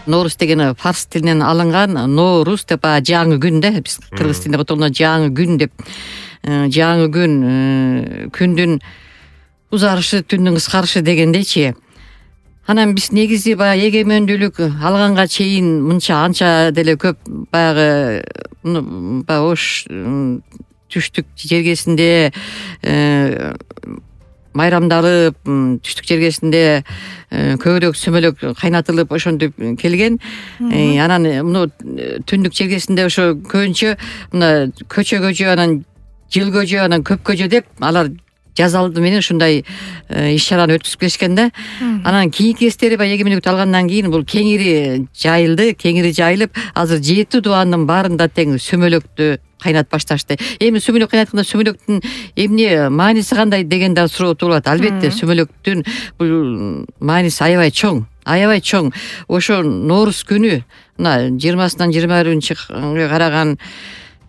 Ноорус деген фарс тилинен алынган, Ноорус деп жаңы күн да, биз кыргыз тилинде которгондо жаңы күн деп. Жаңы күн, күндүн узарышы, түндүн кыскарышы дегендейчи. Анан биз негизи баягы эгемендүүлүк алганга чейин мынча анча деле көп баягы ош түштүк жергесинде майрамдалып, түштүк жергесинде көбүрөөк сүмөлөк кайнатылып ошентип келген. Анан муну түндүк жергесинде ошо көбүнчө мына көчө, анан жыл көчө, анан көп көчө деп алар жазалды менен ушундай иш чараны өткүзүп келишкен да. Анан кийинки кездери баягы эгемендүүлүктү алгандан кийин бул кеңири жайылып, азыр 7 дубандын баарында тең сүмөлөктү кайнатып башташты. Эми сүмөлөк кайнатканда сүмөлөктүн эмне мааниси кандай деген да суроо туулат. Албетте сүмөлөктүн бул мааниси аябай чоң. Ошо Ноорус күнү мына 20-сынан 21-нче караган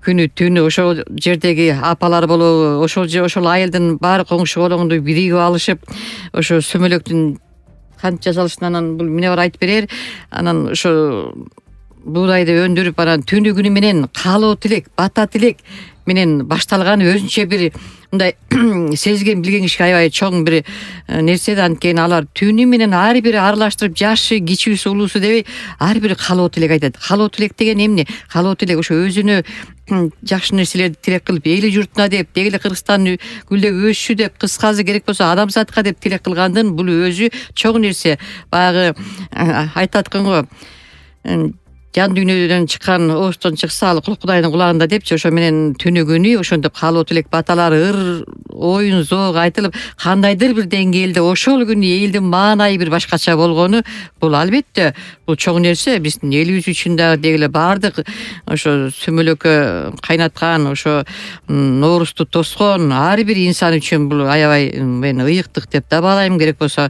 күнү түнү ошол жердеги апалар болобу, ошол айылдын баары коңшу колоңду биригип алышып, ошо сүмөлөктүн кантип жасалышын анан бул эмне бар айтып берер. Анан ошо буудайды өндүрүп, анан түнү күнү менен каалоо тилек, бата тилек менен башталган өзүнчө бир мындай сезген билген кишиге аябай чоң бир нерсе да. Анткени алар түнү менен ар бири аралаштырып, жашы, кичүүсү, улуусу дебей ар бири каалоо тилек айтат. Каалоо тилек деген эмне? Каалоо тилек ошо өзүнө жакшы нерселерди тилек кылып, эли журтуна деп, деги эле Кыргызстан гүлдөп өссү деп, кыскасы керек болсо адамзатка деп тилек кылгандын бул өзү чоң нерсе. Баягы айтат экен го, жан дүйнөдөн чыккан оостон чыкса ал Кудайдын кулагында депчи. Ошо менен түнү күнү ошентип каалоо тилек баталар оюн зоог айтылып, кандайдыр бир деңгээлде ошол күнү элдин маанайы бир башкача болгону бул албетте бул чоң нерсе. Биздин элибиз үчүн дагы деги эле баардык ошо сүмөлөккө кайнаткан, ошо Ноорусту тоскон ар бир инсан үчүн бул аябай мен ыйыктык деп да баалайм, керек болсо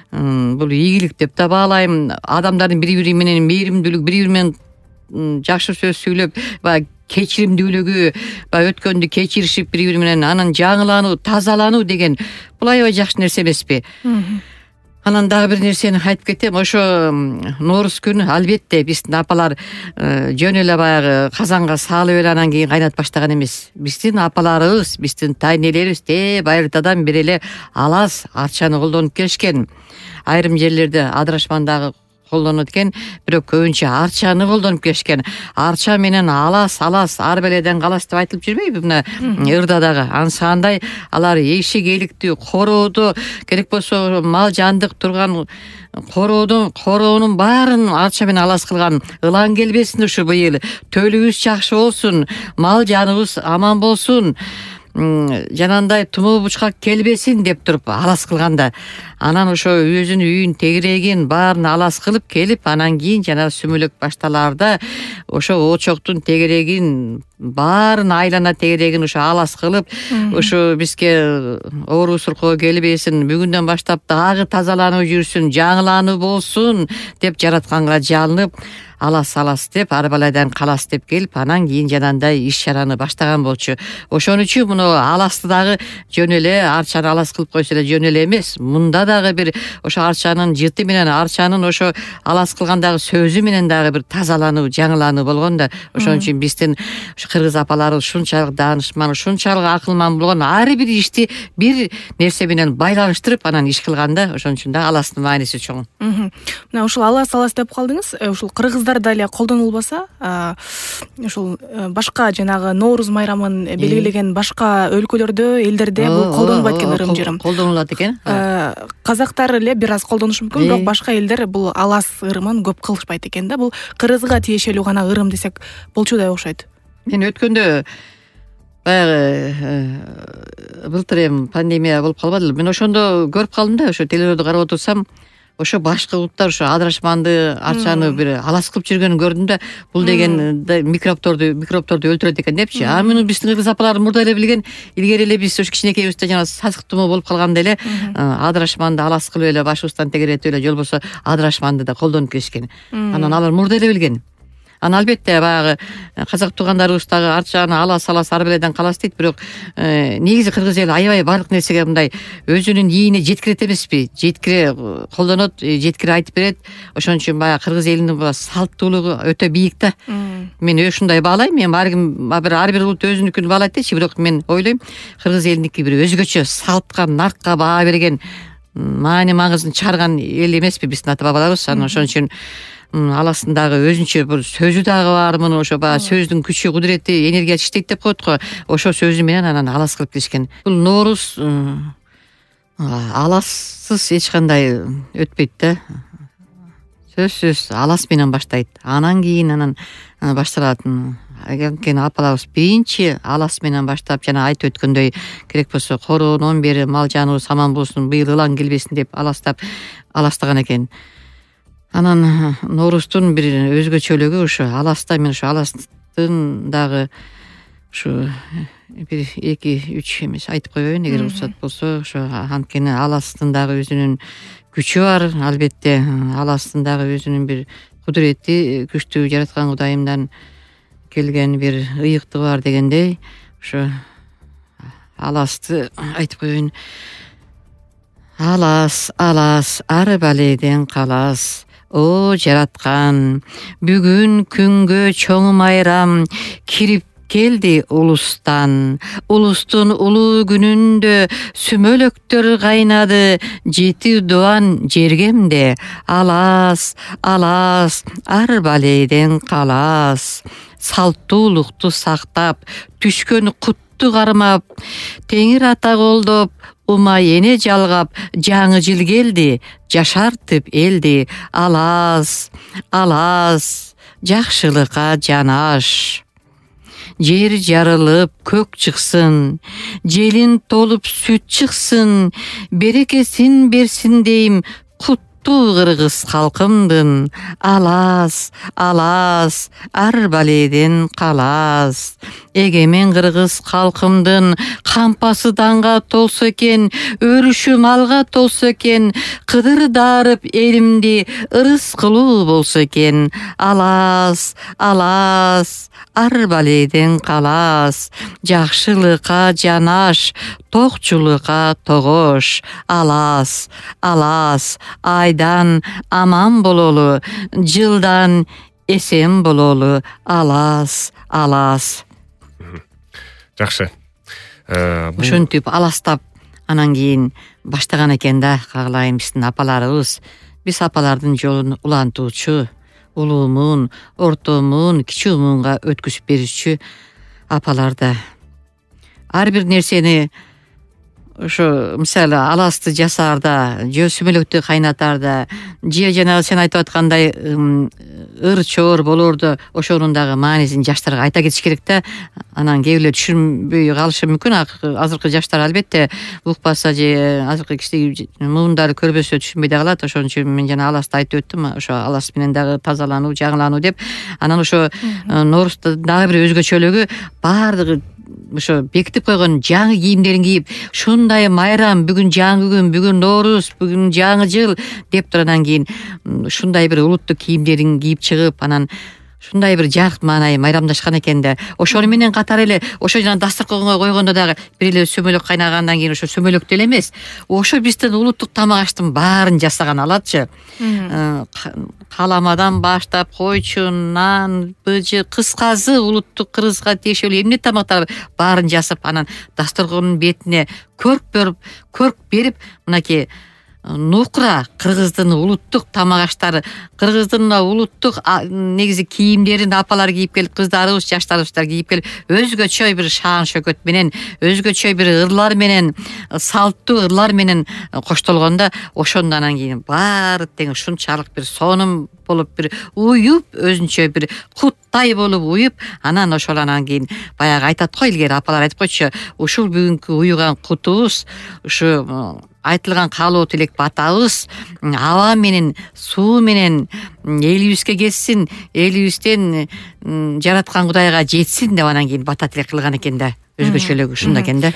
бул ийгилик деп да баалайм. Адамдардын бири-бири менен мээримдүүлүк, бири-бири менен жакшы сөз сүйлөп, баягы кечиримдүүлүгү, баягы өткөндү кечиришип бири-бири менен анан жаңылануу, тазалануу деген бул аябай жакшы нерсе эмеспи? Анан дагы бир нерсени айтып кетем. Ошо Ноорус күнү албетте биздин апалар жөн эле баягы казанга салып эле анан кийин кайнатып баштаган эмес. Биздин апаларыбыз, биздин тайнелерибиз байыртадан бери эле алас арчаны колдонуп келишкен. Айрым жерлерде адырашман дагы колдонот экен, бирок көбүнчө арчаны колдонуп келишкен. Арча менен алас, ар беледен калас деп айтылып жүрбөйбү мына ырда дагы? Ансандай алар эшик эликти корооду, керек болсо мал жандык турган короонун баарын арча менен алас кылган. Ылаң келбесин ушу быйыл, төлүбүз жакшы болсун, мал жаныбыз аман болсун, жанагындай тумоо бучкак келбесин деп туруп алас кылганда, анан ошо өзүнүн үйүн, тегерегин баарын алас кылып келип, анан кийин жанагы сүмөлөк башталаарда ошо очоктун тегерегин баарын айлана тегерегин ошо алас кылып, ошо бизге оору суркоо келбесин, бүгүндөн баштап дагы тазаланып жүрсүн, жаңылануу болсун деп жаратканга жалынып, алас деп ар балайдан калас деп келип, анан кийин жанагындай иш чараны баштаган болчу. Ошон үчүн муну аласты дагы жөн эле арчаны алас кылып койсо эле жөн эле эмес. Мында дагы бир ошо арчанын жыты менен, арчанын ошо алас кылгандагы сөзү менен дагы бир тазалануу, жаңылануу болгон да. Ошон үчүн биздин кыргыз апаларыбыз ушунчалык даанышман, ушунчалык акылман болгон, ар бир ишти бир нерсе менен байланыштырып анан иш кылганда, ошон үчүн да аластын мааниси чоң. Мына ушул алас деп калдыңыз. Ушул кыргыздарда эле колдонулбаса, ушул башка жанагы Ноорус майрамын белгилеген башка өлкөлөрдө, элдерде бул колдонбойт экен ырым жырым. Колдонулат экен. Казактар эле бир аз колдонушу мүмкүн, бирок башка элдер бул алас ырымын көп кылышпайт экен да. Бул кыргызга тиешелүү гана ырым десек болчудай окшойт. Мен өткөндө баягы былтыр эми пандемия болуп калбадыбы? Мен ошондо көрүп калдым да, ошо телевизорду карап отурсам, ошо башкы улуттар ошо адырашманды, арчаны бир алас кылып жүргөнүн көрдүм да. Бул деген микробторду өлтүрөт экен депчи. А муну биздин кыргыз апалар мурда эле билген. Илгери эле биз ошо кичинекейибизде жана сасык тумоо болуп калганда эле адырашманды алас кылып эле башыбыздан тегеретип эле, же болбосо адырашманды да колдонуп келишкен. Анан алар мурда эле билген. Анан албетте баягы казак туугандарыбыз дагы арт жагына алас ар беледен калас дейт, бирок негизи кыргыз эли аябай баардык нерсеге мындай өзүнүн ийине жеткирет эмеспи, жеткире колдонот, жеткире айтып берет. Ошон үчүн баягы кыргыз элинин салттуулугу өтө бийик да. Мен ушундай баалайм. Мен ар бир улут өзүнүкүн баалайт дейчи, бирок мен ойлойм кыргыз элиники бир өзгөчө салтка, наркка баа берген, маани маңызын чыгарган эл эмеспи биздин ата бабаларыбыз. Анан ошон үчүн аластын дагы өзүнчө бир сөзү дагы бар. Муну ошо баягы сөздүн күчү, кудурети, энергиясы иштейт деп коет го. Ошо сөзү менен анан алас кылып келишкен. Бул Нооруз алассыз эч кандай өтпөйт да. Сөзсүз алас менен баштайт. Анан кийин башталат. Анткени апаларыбыз биринчи алас менен баштап, жана айтып өткөндөй, керек болсо короонон бери мал жаныбыз аман болсун, быйыл ылаң келбесин деп аластаган экен. Анан Ноорузтун бир өзгөчөлүгү ушу аласта. Мен ушу аластын дагы ушу бир 2-3 эмес айтып коеюн, эгер уруксат болсо. Ошо анткени аластын дагы өзүнүн күчү бар. Албетте аластын дагы өзүнүн бир кудурети, күчтүү жараткан Кудайымдан келген бир ыйыктыгы бар дегендей, ошо аласты айтып коеюн. Алас, алас, ар баледен калас. О жараткан, бүгүн күнгө чоң майрам кирип келди улустан. Улустун улуу күнүндө сүмөлөктөр кайнады, жети дуан жергемде. Алас, алас, ар баледен калас. Салттуулукту сактап, түшкөн кутту кармап, Теңир ата колдоп, ума эне жалгап, жаңы жыл келди, жашартып элди. Алас, алас, жакшылыкка жанаш. Жер жарылып, көк чыксын, желин толуп сүт чыксын, берекесин берсин дейм, кыргыз калкымдын. Алас, алас, ар баледен калас. Эгемен кыргыз калкымдын кампасы данга толсо экен, өрүшү малга толсо экен, кыдыр дарып элимди ырыс кылуу болсо экен. Алас, алас, ар баледен калас. Жакшылыкка жанаш, токчулукка тогош. Алас, алас, айдан аман бололу, жылдан эсен бололу. Алас, алас. Жакшы. Ушинтип аластап анан кийин баштаган экен да. Кагалайм биздин апаларыбыз. Биз апалардын жолун улантуучу, улуу муун, орто муун, кичүү муунга өткүзүп берүүчү апалар да. Ар бир нерсени ошо мисалы аласты жасаарда, же сүмөлөктү кайнатаарда, же жанагы сен айтып аткандай ыр чоор болоордо ошонун дагы маанисин жаштарга айта кетиш керек да. Анан кээ бирлер түшүнбөй калышы мүмкүн. Азыркы жаштар албетте укпаса же азыркы кичине муундары көрбөсө түшүнбөй да калат. Ошон үчүн мен жана аласты айтып өттүм. Ошо алас менен дагы тазалануу, жаңылануу деп. Анан ошо Ноорузда дагы бир өзгөчөлүгү, баардыгы ошо бекитип койгон жаңы кийимдерин кийип, ушундай майрам, бүгүн жаңы күн, бүгүн Нооруз, бүгүн жаңы жыл деп туруп, анан кийин ушундай бир улуттук кийимдерин кийип чыгып, анан ушундай бир жарык маанай майрамдашкан экен да. Ошону менен катар эле ошо жана дасторконго койгондо дагы бир эле сүмөлөк кайнагандан кийин ошо сүмөлөк деле эмес, ошо биздин улуттук тамак аштын баарын жасаган алатчы. Каламадан баштап койчу, нан, быжы, кыскасы улуттук кыргызга тиешелүү эмне тамактар баарын жасап, анан дасторкондун бетине көрк берип, мынакей нукра кыргыздын улуттук тамак аштары, кыргыздын улуттук негизи кийимдерин апалар кийип келип, кыздарыбыз, жаштарыбыздар кийип келип, өзгөчө бир шаан шөкөт менен, өзгөчө бир ырлар менен, салттуу ырлар менен коштолгондо, ошондон анан кийин баары тең ушунчалык бир сонун болуп, бир уюп, өзүнчө бир куттай болуп уюп, анан ошол анан кийин баягы айтат го, илгери апалар айтып койчу, ушул бүгүнкү уюган кутубуз, ушу айтылган каалоо тилек батабыз аба менен, суу менен элибизге кетсин, элибизден жараткан Кудайга жетсин деп анан кийин бата тилек кылган экен да. Өзгөчөлүгү ушунда экен да.